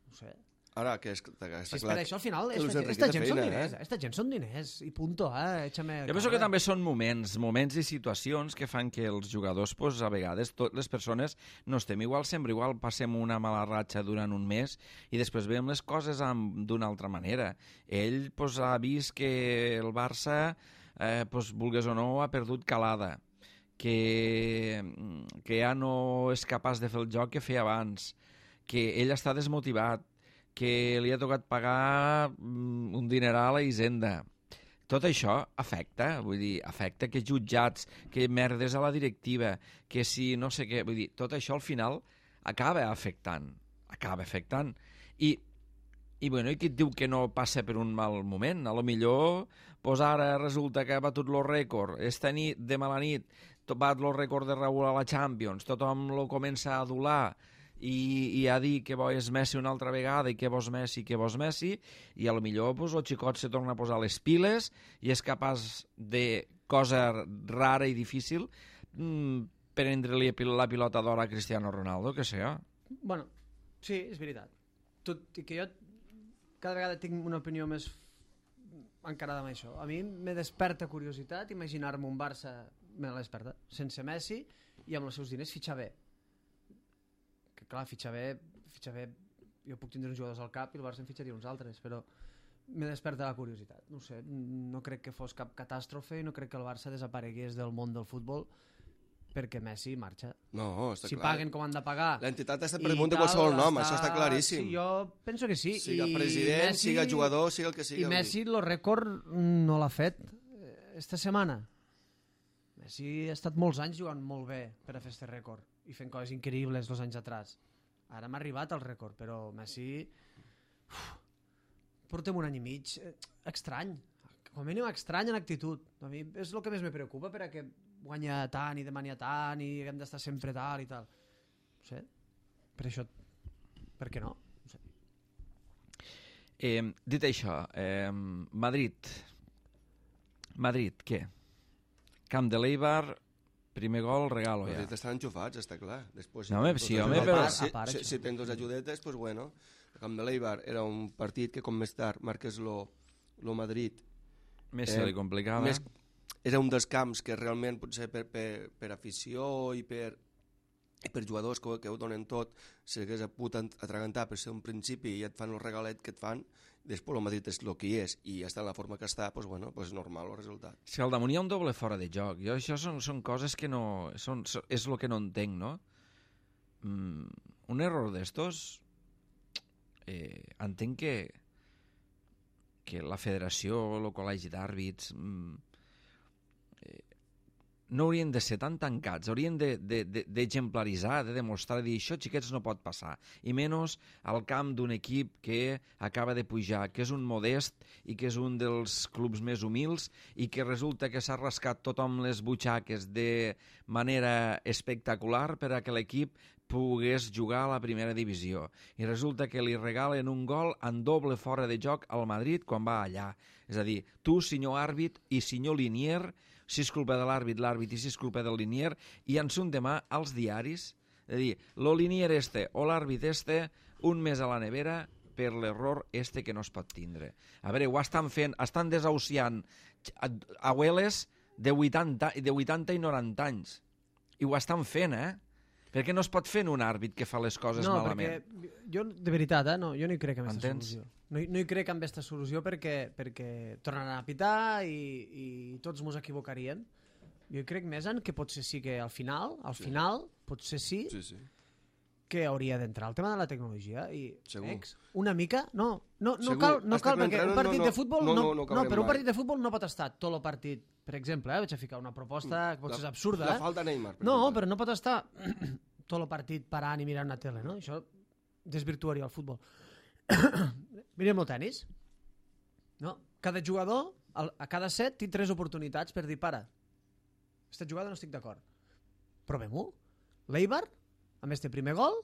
No sé. Ara, que és, que està Si és clar... per això, al final, que Luis esta, Enrique esta té gent són feina, diners, eh? esta gent són diners, i punto, eh? Échame Jo penso cabra. que també són moments, moments i situacions que fan que els jugadors, pues, a vegades, tot, les persones no estem igual, sempre igual, passem una mala ratxa durant un mes i després veiem les coses amb- d'una altra manera. Ell pues, ha vist que el Barça, eh, pues, vulgues o no, ha perdut calada, que, que ja no és capaç de fer el joc que feia abans, que ell està desmotivat, que li ha tocat pagar mm, un dineral a Hisenda. Tot això afecta, vull dir, afecta que jutjats, que merdes a la directiva, que si no sé què, vull dir, tot això al final acaba afectant, acaba afectant. I, i bueno, i qui et diu que no passa per un mal moment? A lo millor, pues ara resulta que ha batut el rècord, esta nit, de mala nit, bat el rècord de Raúl a la Champions, tothom lo comença a adular, i, i a dir que bo és Messi una altra vegada i que bo és Messi, que bo és Messi, i a lo millor pues, el xicot se torna a posar les piles i és capaç de cosa rara i difícil mmm, prendre-li la pilota d'or a Cristiano Ronaldo, que sé. Bueno, sí, és veritat. Tot i que jo cada vegada tinc una opinió més encarada amb això. A mi me desperta curiositat imaginar-me un Barça, me la desperta, sense Messi i amb els seus diners fitxar bé. Que clar, fitxar bé, fitxar bé, jo puc tindre uns jugadors al cap i el Barça en fitxaria uns altres, però me desperta la curiositat. No sé, no crec que fos cap catàstrofe i no crec que el Barça desaparegués del món del futbol perquè Messi marxa. No, està Si clar. paguen com han de pagar... L'entitat està i per damunt de tal, qualsevol nom, està- això està claríssim. Sí, jo penso que sí. Siga I president, Messi- siga jugador, siga el que siga. I Messi, el rècord no l'ha fet eh, esta setmana. Messi ha estat molts anys jugant molt bé per a fer aquest rècord i fent coses increïbles els anys atrás. Ara m'ha arribat el rècord, però Messi... Uf, portem un any i mig eh, estrany. Com a mínim estrany en actitud. A mi és el que més me preocupa per a que guanya tant i demania tant i hem d'estar sempre tal i tal. No sé. Per això... Per què no? No sé. Eh, dit això, eh, Madrid. Madrid, què? Camp de l'Eibar, primer gol, regalo ja. Madrid estan enxufats, està clar. Després, No, home, tens sí, dos home, ajudetes, però- Si, A part, si, això. si tens dos ajudetes, doncs pues bueno. el camp de l'Eibar era un partit que com més tard marques lo, lo Madrid Més se li complicava. Més, era un dels camps que realment potser per, per, per afició i per, i per jugadors que, que ho donen tot s'hagués pogut atragantar per ser un principi i et fan el regalet que et fan, després el Madrid és el que hi és i està en la forma que està, doncs bueno, pues normal el resultat. Si al damunt hi ha un doble fora de joc, jo això són, són coses que no... Són, és el que no entenc, no? Mm, un error d'estos eh, entenc que que la federació o el col·legi d'àrbits mm, eh, no haurien de ser tan tancats, haurien d'exemplaritzar, de, de, de demostrar, de dir, això, xiquets, no pot passar. I menys al camp d'un equip que acaba de pujar, que és un modest i que és un dels clubs més humils i que resulta que s'ha rascat tothom les butxaques de manera espectacular per a que l'equip pogués jugar a la primera divisió. I resulta que li regalen un gol en doble fora de joc al Madrid quan va allà. És a dir, tu, senyor àrbit i senyor linier, si és culpa de l'àrbit, l'àrbit, i si és culpa del linier, i en son demà als diaris, és a dir, lo linier este o l'àrbit este, un mes a la nevera per l'error este que no es pot tindre. A veure, ho estan fent, estan desahuciant abueles de vuitanta, de vuitanta i noranta anys. I ho estan fent, eh? Per què no es pot fer en un àrbit que fa les coses no, malament? No, perquè jo, de veritat, eh, no, jo no hi crec en aquesta Entens? solució. No, hi- no hi crec en aquesta solució perquè, perquè tornaran a pitar i, i tots mos equivocaríem. Jo hi crec més en que potser sí que al final, al sí. final, potser sí, Sí, sí. que hauria d'entrar el tema de la tecnologia i Segur. ex, una mica, no, no, no Segur. cal, no Hasta cal que perquè entraran, un partit no, no, de futbol no, no, no, no no, acabarem però un mai. partit de futbol no pot estar tot el partit, per exemple, eh, vaig a ficar una proposta que potser és absurda, La eh? falta Neymar. per No, exemple. però no pot estar tot el partit parant i mirant la tele, no? Això desvirtuaria el futbol. Mirem el tennis. No? Cada jugador, al- a cada set, té tres oportunitats per dir, para, aquesta jugada no estic d'acord. Provem-ho. L'Eibar, amb este primer gol,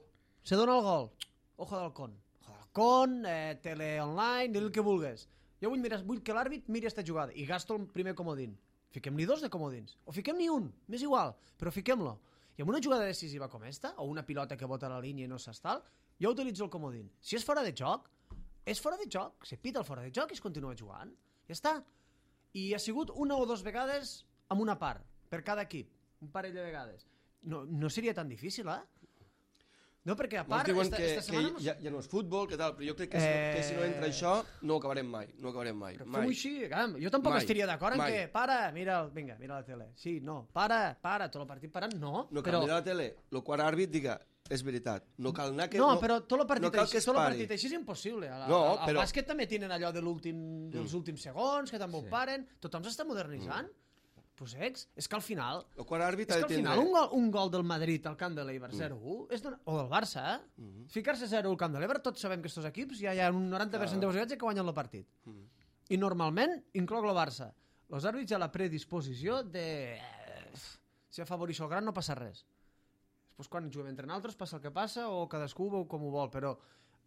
se dona el gol. Ojo d'Halcón. Ojo d'Halcón, eh, tele online, di el que vulgues. Jo vull, mirar, vull que l'àrbit miri aquesta jugada i gasto el primer comodín. Fiquem-li dos de comodins. O fiquem-n'hi un, m'és igual, però fiquem-lo. I amb una jugada decisiva com esta, o una pilota que bota a la línia i no s'estal, jo utilitzo el comodín. Si és fora de joc, és fora de joc. Se pita el fora de joc i es continua jugant. Ja està. I ha sigut una o dues vegades amb una part, per cada equip. Un parell de vegades. No, no seria tan difícil, eh? No, perquè a Molts part... diuen esta, que, esta que setmana... ja, ja no és futbol, que tal, però jo crec que, si, Eh... que si no entra això no ho acabarem mai, no ho acabarem mai. Però mai. fem-ho així, caram. Jo tampoc Mai. estaria d'acord en Mai. que... Para, mira, el- vinga, mira la tele. Sí, no, para, para, tot el partit parant, no. No cal però... mirar la tele, el quart àrbit diga, és veritat, no cal anar que... No, però tot el partit, no cal així, que es tot el pari. partit així és impossible. A la, No, al però- bàsquet també tenen allò de l'últim dels últims segons, que també ho paren. Tothom s'està modernitzant. Pues ex, és que al final... El quart àrbit És ha que de al tindre... final un gol, un gol del Madrid al camp de l'Eibar zero u, és donar- o del Barça, eh? Ficar-se zero al camp de l'Eibar, tots sabem que estos equips ja hi ha un noranta per cent de possibilitats que guanyen el partit. I normalment incloc el Barça. Els àrbits a la predisposició de... eh, si afavorixo el gran no passa res. Després quan juguem entre nosaltres passa el que passa o cadascú veu com ho vol, però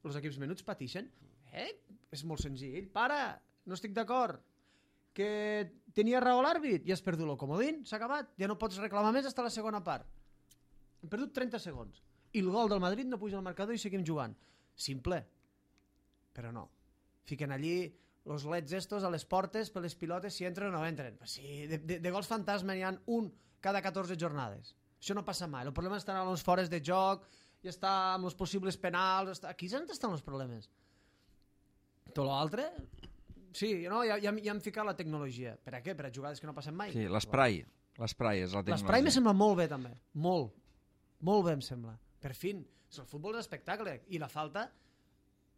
els equips menuts patixen. Eh? És molt senzill. Para, no estic d'acord. Que tenia raó l'àrbit i has perdut el comodín, s'ha acabat. Ja no pots reclamar més fins a la segona part. Hem perdut trenta segons. I el gol del Madrid no puja al marcador i seguim jugant. Simple. Però no. Fiquen allí els leds estos a les portes per les pilotes si entren o no entren. Pues sí, de, de, de gols fantasma n'hi ha un cada catorze jornades. Això no passa mai. El problema està en els fores de joc, i està amb els possibles penals. Està... Aquí és on estan els problemes. Tot l'altre... Sí, no, ja, ja, ja hem ficat la tecnologia. Per a què? Per a jugades que no passen mai? Sí, l'esprai. L'esprai és la tecnologia. L'esprai me sembla molt bé, també. Molt. Molt bé, em sembla. Per fin. El futbol és espectacle. I la falta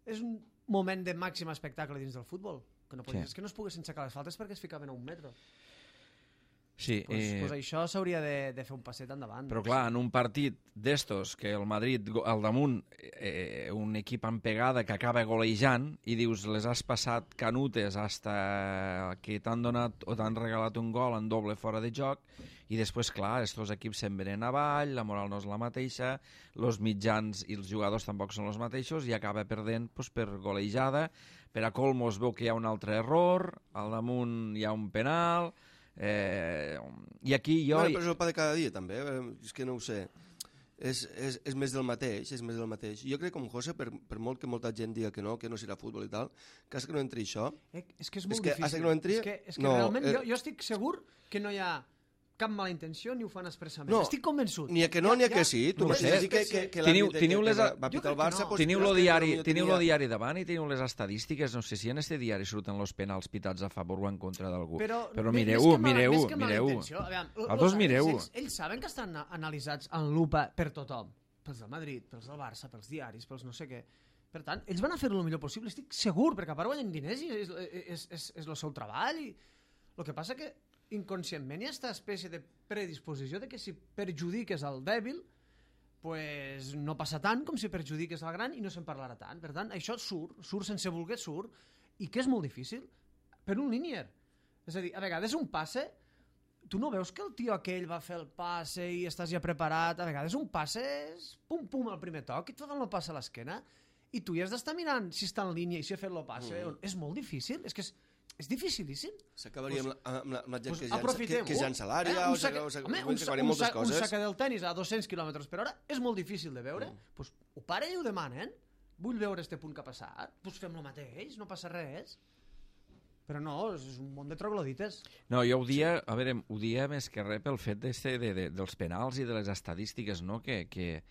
és un moment de màxim espectacle dins del futbol. Que no podies, Sí. És que no es poguessin aixecar les faltes perquè es ficaven a un metre. Sí, Pues, eh, pues això s'hauria de, de fer un passet endavant. però clar, en un partit d'estos, que el Madrid go- al damunt, eh, un equip en pegada que acaba golejant, i dius, les has passat canutes hasta que t'han donat o t'han regalat un gol en doble fora de joc, i després, clar, estos equips se'n venen avall, la moral no és la mateixa, els mitjans i els jugadors tampoc són els mateixos, i acaba perdent pues, per golejada. Per a colmo es veu que hi ha un altre error, al damunt hi ha un penal... Eh, i aquí jo... Bueno, però és el pa de cada dia, també. eh, És que no ho sé. és, és, és més del mateix, és més del mateix. Jo crec que com José, per, per molt que molta gent diga que no, que no serà futbol i tal, que has que no entri això... Eh, és que és molt és que, difícil. Que no entri, és que, és que no, realment eh, jo, jo estic segur que no hi ha cap mala intenció ni ho fan expressament. No, estic convençut. Ni a que no, ni a que sí. Tu no no sé. sé. Que, que, que Teniu- l'àmbit teniu que, les que a- va, va Jo pitar el crec que Barça... no. Pues, Teniu diràs lo que diari, Ronaldo teniu tenia- lo diari davant i teniu les estadístiques, no sé si en este diari surten els penals pitats a favor o en contra d'algú. Però, Però més- mireu, més que mala- mireu, més que mala mireu. intenció, aviam, Els els dos àrbitres, mireu. Ells, ells saben que estan analitzats en lupa per tothom. Pels del Madrid, pels del Barça, pels diaris, pels no sé què. Per tant, ells van a fer-ho el millor possible, estic segur, perquè a part guanyen diners i és, és, és, és el seu treball. I... El que passa que inconscientment hi ha aquesta espècie de predisposició de que si perjudiques el dèbil pues no passa tant com si perjudiques el gran i no se'n parlarà tant. Per tant, això surt, surt sense voler, surt, i que és molt difícil per un línier. És a dir, a vegades un passe, tu no veus que el tio aquell va fer el passe i estàs ja preparat, a vegades un passe és pum pum al primer toc i tu fan el passe a l'esquena i tu ja has d'estar mirant si està en línia i si ha fet el passe. Mm. És molt difícil, és que és, és dificilíssim. S'acabaria amb, la, amb, la, amb la gent Pues que ja, que, aprofitem-ho. que ja en salari, Eh, o un saca- o s'ac- home, o un sa- s'acabarien un moltes sa- un coses. saca del tennis a dos-cents quilòmetres per hora és molt difícil de veure. Mm. Pues, ho paren i ho demanen. Vull veure este punt que ha passat. Pues fem el mateix, no passa res. Però no, és un món de troglodites. No, jo ho dia, a veure, ho dia més que res pel fet de, de, de, dels penals i de les estadístiques, no? Que, que,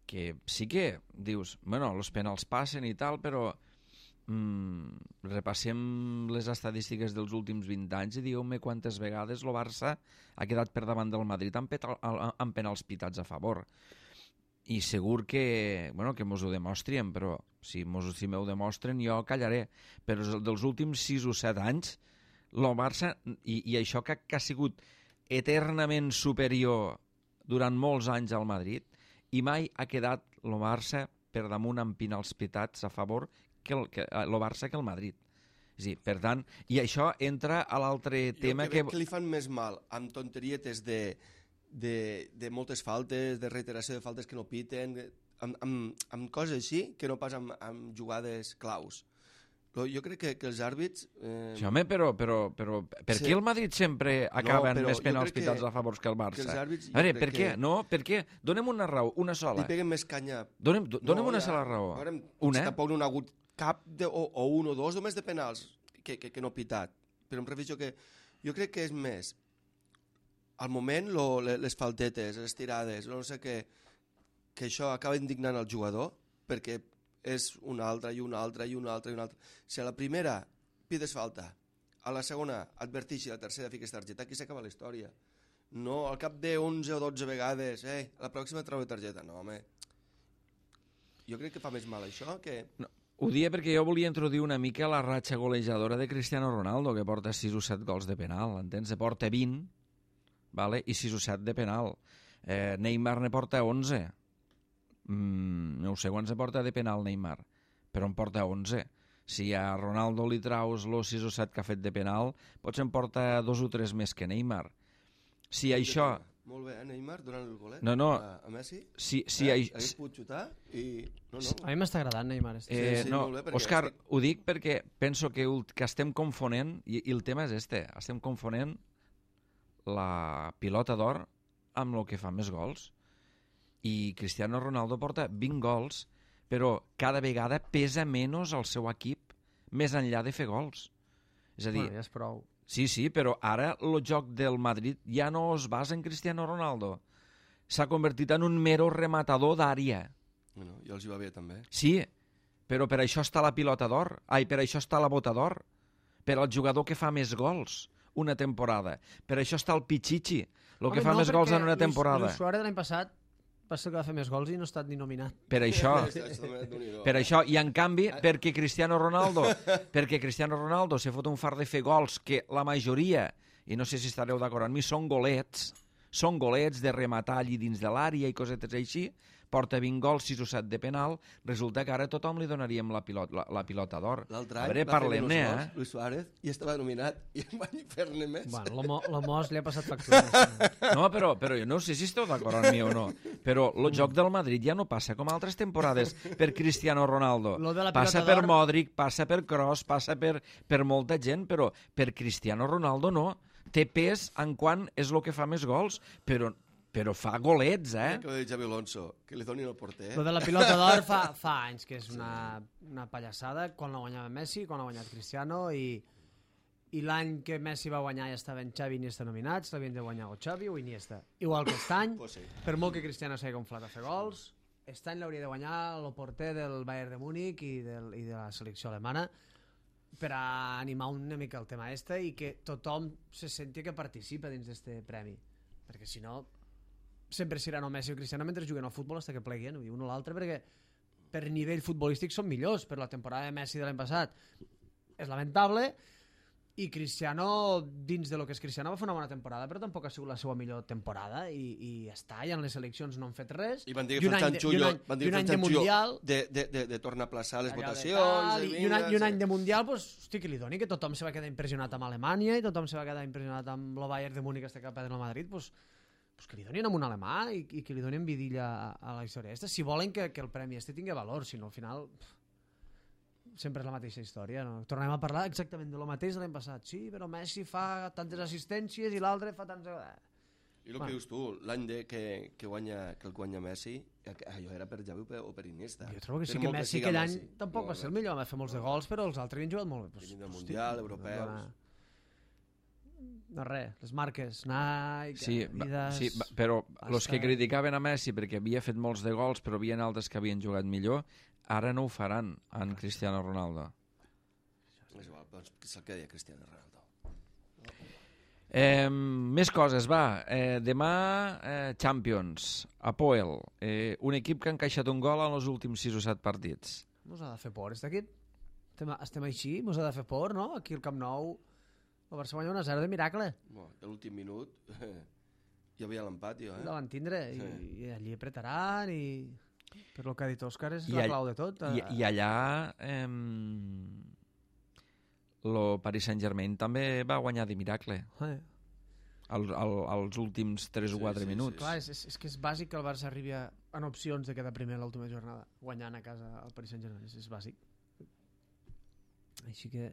que sí que dius, bueno, els penals passen i tal, però mm, repassem les estadístiques dels últims vint anys i digueu-me quantes vegades el Barça ha quedat per davant del Madrid amb, petal, amb penals pitats a favor. I segur que, bueno, que mos ho demostrien, però si, mos, si m'ho demostren jo callaré. Però dels últims sis o set anys, el Barça, i, i això que, que ha sigut eternament superior durant molts anys al Madrid, i mai ha quedat el Barça per damunt amb penals pitats a favor que el, que, el Barça que el Madrid. És a dir, per tant, i això entra a l'altre tema jo que... que... que li fan més mal amb tonterietes de... De, de moltes faltes, de reiteració de faltes que no piten, amb, amb, amb coses així que no pas amb, amb jugades claus. Però jo crec que, que els àrbits... Eh, Sí, home, però, però, però per Sí. què el Madrid sempre acaba però amb més jo penals crec que- pitats a favor que el Barça? que els àrbits, jo a veure, crec per què? que- No, per què? Donem una raó, una li sola. peguen més canya... Donem, do, donem No, una ja, sola raó. Veurem, Una? Tampoc no ha hagut cap de, o, o un o dos només de penals que, que, que no pitat. Però em refereixo que jo crec que és més al moment lo, les faltetes, les tirades, no sé què, que això acaba indignant el jugador perquè és una altra i una altra i una altra i una altra. Si a la primera pides falta, a la segona advertix i a la tercera fiques targeta, aquí s'acaba la història. No, al cap de onze o dotze vegades, eh, a la pròxima treu targeta. No, home. Jo crec que fa més mal això que... No, ho dia perquè jo volia introduir una mica la ratxa golejadora de Cristiano Ronaldo, que porta sis o set gols de penal, entens? Ne porta vint, vale? I sis o set de penal. Eh, Neymar ne porta onze. Mm, no sé quants ne porta de penal Neymar, però en porta onze. Si a Ronaldo li traus los sis o set que ha fet de penal, potser en porta dos o tres més que Neymar. Si això... Molt bé, eh, Neymar, donant el golet No, no. a, a Messi. Si, si eh? ai- Hagués pogut xutar i... No, no. A mi m'està agradant Neymar. Este. Eh, Sí, sí, no, molt bé, perquè Òscar, estic- ho dic perquè penso que, ult- que estem confonent, i, i el tema és este, estem confonent la pilota d'or amb el que fa més gols. I Cristiano Ronaldo porta vint gols, però cada vegada pesa menys el seu equip més enllà de fer gols. És a dir, Bueno, ja és prou. sí, sí, però ara el joc del Madrid ja no es basa en Cristiano Ronaldo. S'ha convertit en un mero rematador d'àrea. Bueno, jo els hi va bé també. Sí, però per això està la pilota d'or. Ai, per això està la bota d'or. Per al jugador que fa més gols una temporada. Per això està el Pichichi, el que Home, fa no, més gols perquè en una Luis- temporada. Luis Suárez de l'any passat va ser el que va fer més gols i no ha estat ni nominat. Per això, Déu-n'hi-do. per això, i en canvi, perquè Cristiano Ronaldo, perquè Cristiano Ronaldo s'ha fot un far de fer gols que la majoria, i no sé si estareu d'acord amb mi, són golets, són golets de rematar allí dins de l'àrea i cosetes així, porta vint gols, sis o set de penal, resulta que ara a tothom li donaríem la pilota, la, la pilota d'or. L'altre A any veure, va fer parlem-ne, menys eh? gols, Luis Suárez, i estava nominat, i en van fer-ne més. Bueno, la, Mo, la Mos li ha passat factura. Sí. No, però, però jo no sé si esteu d'acord amb mi o no, però el joc del Madrid ja no passa com altres temporades per Cristiano Ronaldo. Lo de la Passa pilota per d'or- Modric, passa per Kroos, passa per, per molta gent, però per Cristiano Ronaldo no. Té pes en quan és el que fa més gols, però però fa golets, eh? Que ho dit Xavi Alonso, que li donin el porter. Lo de la pilota d'or fa, fa anys que és una, una pallassada, quan la guanyava Messi, quan l'ha guanyat Cristiano, i, i l'any que Messi va guanyar ja estaven Xavi i Iniesta nominats, l'havien de guanyar o Xavi o Iniesta. Igual que aquest any, Pues sí. per molt que Cristiano s'hagi conflat a fer gols, aquest any l'hauria de guanyar el porter del Bayern de Múnich i, del, i de la selecció alemana, per a animar una mica el tema este i que tothom se senti que participa dins d'este premi, perquè si no sempre seran o Messi o Cristiano mentre juguen al futbol fins que pleguen un o l'altre, perquè per nivell futbolístic són millors, però la temporada de Messi de l'any passat és lamentable i Cristiano dins de lo que és Cristiano va fer una bona temporada, però tampoc ha sigut la seva millor temporada i, i ja està, i en les seleccions no han fet res I van dir I que un any Ferran de- i un Xullo any- van i dir un que any de Ferran Xullo Mundial de, de, de, de tornar a plaçar les allò de votacions tal, de i, i, un any, i un vinga, any sí. de Mundial pues, hosti, que li doni, que tothom se va quedar impressionat amb Alemanya i tothom se va quedar impressionat amb el Bayern de Múnich que està cap del Madrid, pues, pues que li donin amb un alemà i, i que li donin vidilla a, a la història aquesta, si volen que, que el premi este tingui valor, si no al final pff, sempre és la mateixa història, no? Tornem a parlar exactament de lo mateix de l'any passat, sí, però Messi fa tantes assistències i l'altre fa tants... I el Bueno. que dius tu, l'any de que, que, guanya, que el guanya Messi, allò era per Xavi o per, o per Iniesta. Jo trobo que sí Per que molt Messi siga aquell any Messi. tampoc No, va ser no. el millor, va fer molts de gols, però els altres havien jugat molt bé. Pues, Venint del hosti, Mundial, europeus. No, res, les marques, Nike, Sí, va, Adidas... sí, va, però els que Hasta- criticaven a Messi perquè havia fet molts de gols però havien altres que havien jugat millor, ara no ho faran en Cristiano Ronaldo. És igual, doncs, que se'l quedi a Cristiano Ronaldo. Eh, més coses, va. Eh, demà, eh, Champions, Apoel, eh, un equip que ha encaixat un gol en els últims sis o set partits. Mos ha de fer por, este equip. Estem, estem així, mos ha de fer por, no? Aquí al Camp Nou, el Barça guanya un a zero de miracle. Bueno, a l'últim minut hi havia l'empat, jo, eh? La van tindre, i, Sí. i allí apretaran, i... Per lo que ha dit Òscar, és I la all- clau de tot. I, i allà eh, el Paris Saint-Germain també va guanyar de miracle Eh. al, al, als últims tres o Sí, quatre sí, minuts. Clar, és, és, és que és bàsic que el Barça arribi a, en opcions de quedar primer a l'última jornada, guanyant a casa al Paris Saint-Germain, és, és bàsic. Així que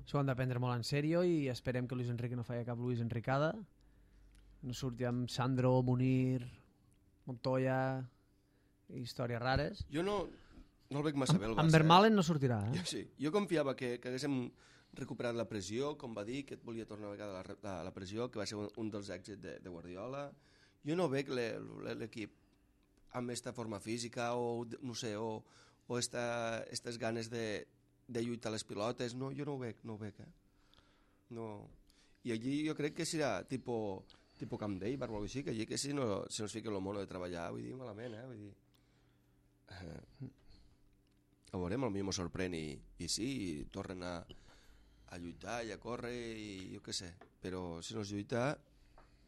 això ho han de prendre molt en sèrio i esperem que Luis Enrique no faci cap Luis Enricada, no surti amb Sandro, Munir, Montoya, històries rares. Jo no, no el veig massa bé, el Amb, Barça. amb Vermaelen no sortirà, Eh? eh? Jo, sí. Jo confiava que, que haguéssim recuperat la pressió, com va dir, que et volia tornar a vegada la, la, la pressió, que va ser un, un dels èxits de, de Guardiola. Jo no veig le- le- l'equip amb aquesta forma física o, no sé, o, o esta, estes ganes de, de lluitar les pilotes. No, jo no ho veig, no ho veig, eh? No. I allí jo crec que serà tipo, tipo Camp David o alguna cosa així, que allí que si no, si no es fica el mono de treballar, vull dir, malament, eh? Vull dir... Eh, a veurem, potser m'ho sorprèn i, i sí, i tornen a, a lluitar i a córrer i jo què sé, però si no es lluita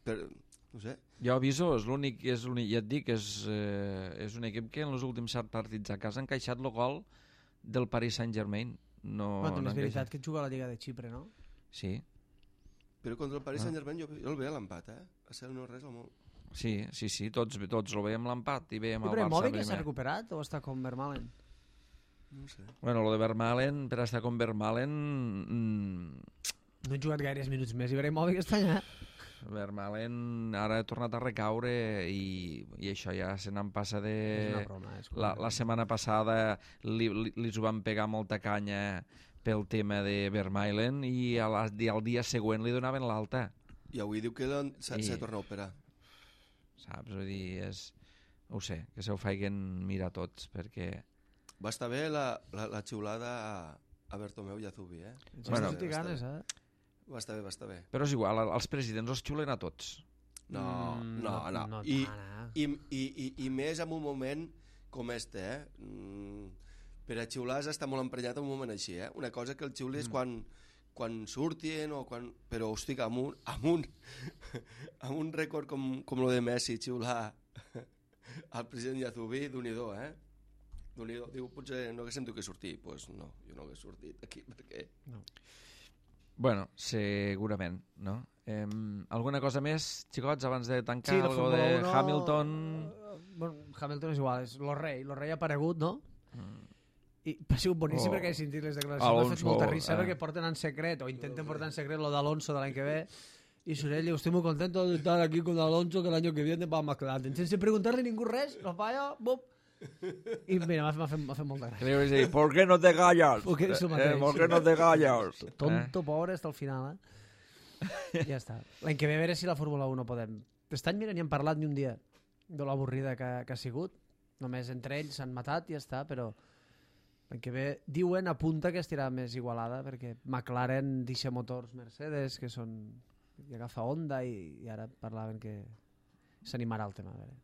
per, no sé, Jo aviso, és l'únic, és l'únic, ja et dic, és, eh, és un equip que en els últims set partits a casa ha encaixat el gol del Paris Saint-Germain. No, Bueno, també no és ha veritat encaixat. que juga a la Lliga de Xipre, no? Sí, però contra el Paris Ah. Saint-Germain jo, jo el veia l'empat, eh? A ser no res al món. sí, sí, sí, tots, tots el veiem l'empat i veiem I el però Barça Immòbil que s'ha primer. recuperat o està com Vermaelen? No sé. Bueno, lo de Vermaelen, per estar com Vermaelen, mm, No he jugat gaires minuts més i Immòbil que està allà. Vermaelen ara ha tornat a recaure i, i això ja se n'en passa de... És una broma. És La, la setmana passada li, li, li ho van pegar molta canya pel tema de Vermaelen i, a la, i al dia següent li donaven l'alta, I avui diu que l'han- s'ha I- s'ha de tornar a operar. saps? Vull dir, és... No ho sé, que se ho feien mirar tots, perquè... Va estar bé la, la, la xiulada a, a Bertomeu i a Zubi, eh? Ens Bueno, bueno, ganes, eh? Va estar bé, va estar bé. Però és igual, els presidents els xulen a tots. No, Mm, no, no. no I, tant, eh? i, i, i, I més en un moment com este, eh? Mm, per a xiular has d'estar molt emprenyat en un moment així, eh? Una cosa que el xiuli és quan, quan surtin o quan... Però, hosti, amb un, amb un, amb un rècord com, com lo de Messi, xiular al president Yazubí, d'un-i-do, eh? D'un-i-do. Diu, potser no haguéssim tu que sortir. Doncs pues no, jo no hagués sortit aquí, perquè... Bueno, segurament, no? Eh, alguna cosa més, xicots, abans de tancar Sí, la algo Fórmula de uno... Hamilton? eh, Bueno, Hamilton és igual, és lo rei. Lo rei ha aparegut, no? Mm. I ha sigut boníssim Oh. perquè he sentit les declaracions. M'ha fet Alonso, molta risa eh. perquè porten en secret, o intenten portar en secret lo d'Alonso de l'any que ve, Y Sorell diu, estoy muy contento de estar aquí con Alonso, que el año que viene va a McLaren. Sense preguntarle ningú res, lo falla, bum. I mira, m'ha fet, m'ha fet molta gràcia. Le iba a decir, ¿por qué no te callas? Porque és el mateix. Eh, ¿Por qué no te callas? Tonto, pobre, hasta el final, eh? Ja està. L'any que ve a veure si la Fórmula un no podem. Aquest any, mira, ni hem parlat ni un dia de l'avorrida que, que ha sigut. Només entre ells s'han matat i ja està, però l'any que ve diuen, apunta que estirà més igualada, perquè McLaren deixa motors Mercedes, que són... i agafa Honda, i, i ara parlaven que s'animarà el tema. A veure.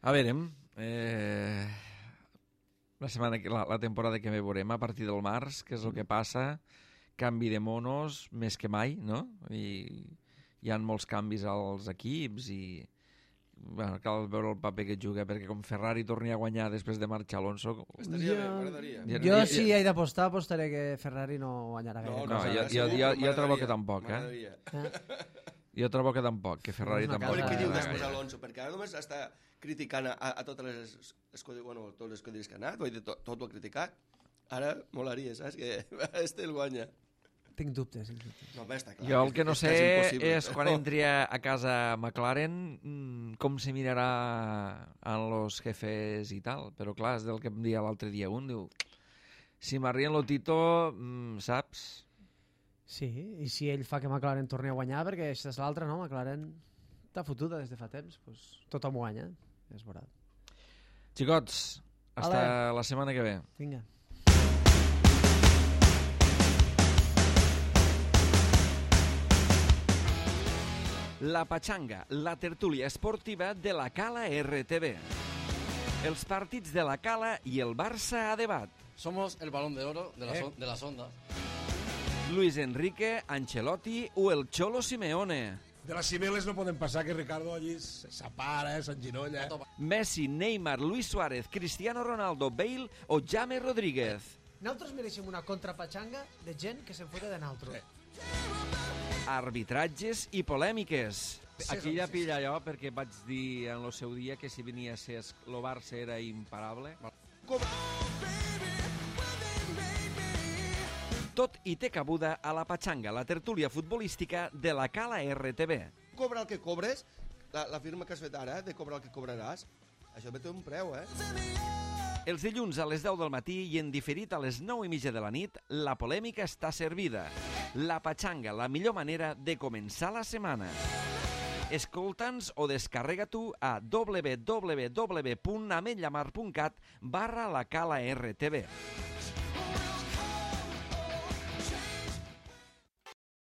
A veure, eh, la, setmana, que- la, la temporada que ve veurem a partir del març, què és el que passa, canvi de monos més que mai, no? I hi ha molts canvis als equips i bueno, cal veure el paper que juga, perquè com Ferrari torni a guanyar després de marxar Alonso... Estaria bé, m'agradaria. Ja- Jo, ja- si ja- he d'apostar, apostaré que Ferrari no guanyarà gaire. no, cosa. jo- jo- segur, jo- jo trobo que m'agradaria, tampoc, eh? m'agradaria. Jo trobo que tampoc, que Ferrari És una tampoc... A veure què Casa- diu guanyarà després gaire. Alonso, perquè ara només està criticant a, a totes les escuderies, bueno, tots les escuderies que ha anat, vull dir, tot, tot ho ha criticat. Ara molaria, saps? Que este el guanya. Tinc dubtes, tinc dubtes. No, bé, està clar. Jo el que no és sé quasi impossible. és quan entri a a casa McLaren mm, com se mirarà a los jefes i tal, però clar, és del que em dia l'altre dia un, diu, si m'arrien lo Tito, mm, saps? Sí, i si ell fa que McLaren torni a guanyar, perquè això és l'altre, no? McLaren està fotuda des de fa temps, doncs tothom guanya, ja es veurà. Xicots, hasta Ale. la setmana que ve. Vinga. La Pachanga, la tertúlia esportiva de la Cala R T V. Els partits de la Cala i el Barça a debat. Somos el balón de oro de, la son- de las ondas. Luis Enrique, Ancelotti o el Cholo Simeone. De les cimeles no podem passar que Ricardo allí s'apara, eh, s'enginolla. Messi, Neymar, Luis Suárez, Cristiano Ronaldo, Bale o James Rodríguez. Nosaltres mereixem una contrapatxanga de gent que se'n fota de nosaltres. Arbitratges i polèmiques. Sí, Aquí sí, ja sí, pilla jo, perquè vaig dir en el seu dia que si venia a ser el Barça era imparable. Tot i té cabuda a la Pachanga, la tertúlia futbolística de la Cala R T V. Cobra el que cobres, la, la firma que has fet ara, de cobrar el que cobraràs, això ve té un preu, eh? Els dilluns a les deu del matí i en diferit a les nou i mitja de la nit, la polèmica està servida. La Pachanga, la millor manera de començar la setmana. Escolta'ns o descarrega tu a w w w punt ametllamar punt cat barra la Cala R T V.